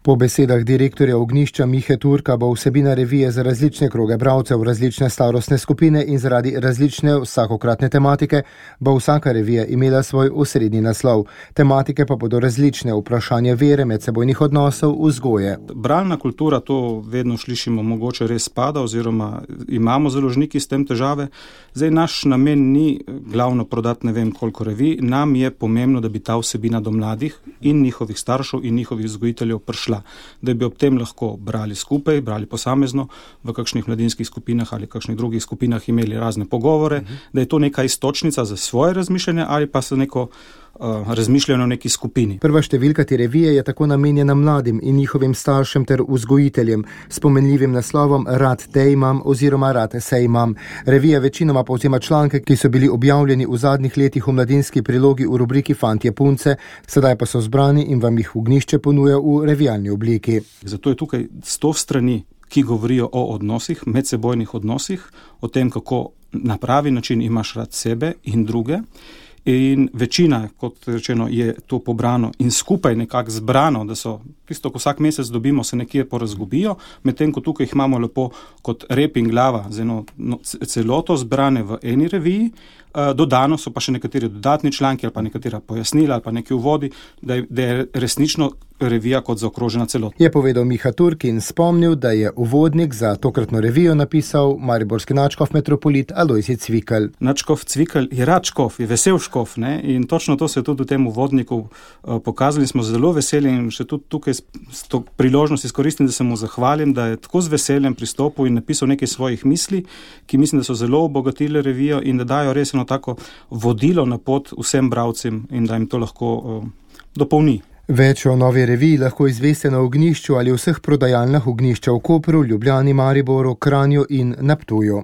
Po besedah direktorja Ognjišča Mihe Turka bo vsebina revije za različne kroge bralcev, različne starostne skupine in zaradi različne vsakokratne tematike bo vsaka revija imela svoj osrednji naslov. Tematike pa bodo različne: vprašanje vere, medsebojnih odnosov, vzgoje. Bralna kultura, to vedno slišimo, mogoče res spada oziroma imamo založniki s tem težave. Zdaj, naš namen ni glavno prodati ne vem koliko revij, nam je pomembno, da bi ta vsebina do mladih in njihovih staršev in njihovih vzgojiteljev prišla, da bi ob tem lahko brali skupaj, brali posamezno, v kakšnih mladinskih skupinah ali kakšnih drugih skupinah imeli razne pogovore, da je to neka iztočnica za svoje razmišljanje ali pa se neko razmišljanje o neki skupini. Prva številka te revije je tako namenjena mladim in njihovim staršem ter vzgojiteljem s pomenljivim naslovom Rad te imam oziroma Rad se imam. Revija večinoma povzema članke, ki so bili objavljeni v zadnjih letih v mladinski prilogi v rubriki Fantje punce, sedaj pa so zbrani in vam jih Ognjišče ponuja v revijalni obliki. Zato je tukaj 100 strani, ki govorijo o odnosih, medsebojnih odnosih, o tem, kako na pravi način imaš rad sebe in druge. In večina, kot rečeno, je to pobrano in skupaj nekako zbrano, da so tisto, ko vsak mesec dobimo, se nekje porazgubijo, medtem ko tukaj jih imamo lepo kot rep in glava z eno celoto zbrane v eni reviji. Dodano so pa še nekateri dodatni članki ali pa nekatera pojasnila ali pa neki uvodi, da je resnično revija kot zaokrožena celota. Je povedal Miha Turk in spomnil, da je uvodnik za tokratno revijo napisal mariborski nadškof metropolit Alojzij Cvikl. Nadškof Cvikl je rad škof, je vesel škof, ne? In točno to se je tudi v tem uvodniku pokazali. Smo zelo veseli in še tudi tukaj s to priložnost izkoristim, da se mu zahvalim, da je tako z veseljem pristopil in napisal nekaj svojih misli, ki mislim, da so zelo obogatile revijo in da dajo res tako vodilo na pot vsem bralcem in da jim to lahko dopolni. Več o novi reviji lahko izveste na Ognjišču ali vseh prodajalnah Ognjišča v Kopru, Ljubljani, Mariboru, Kranju in na Ptuju.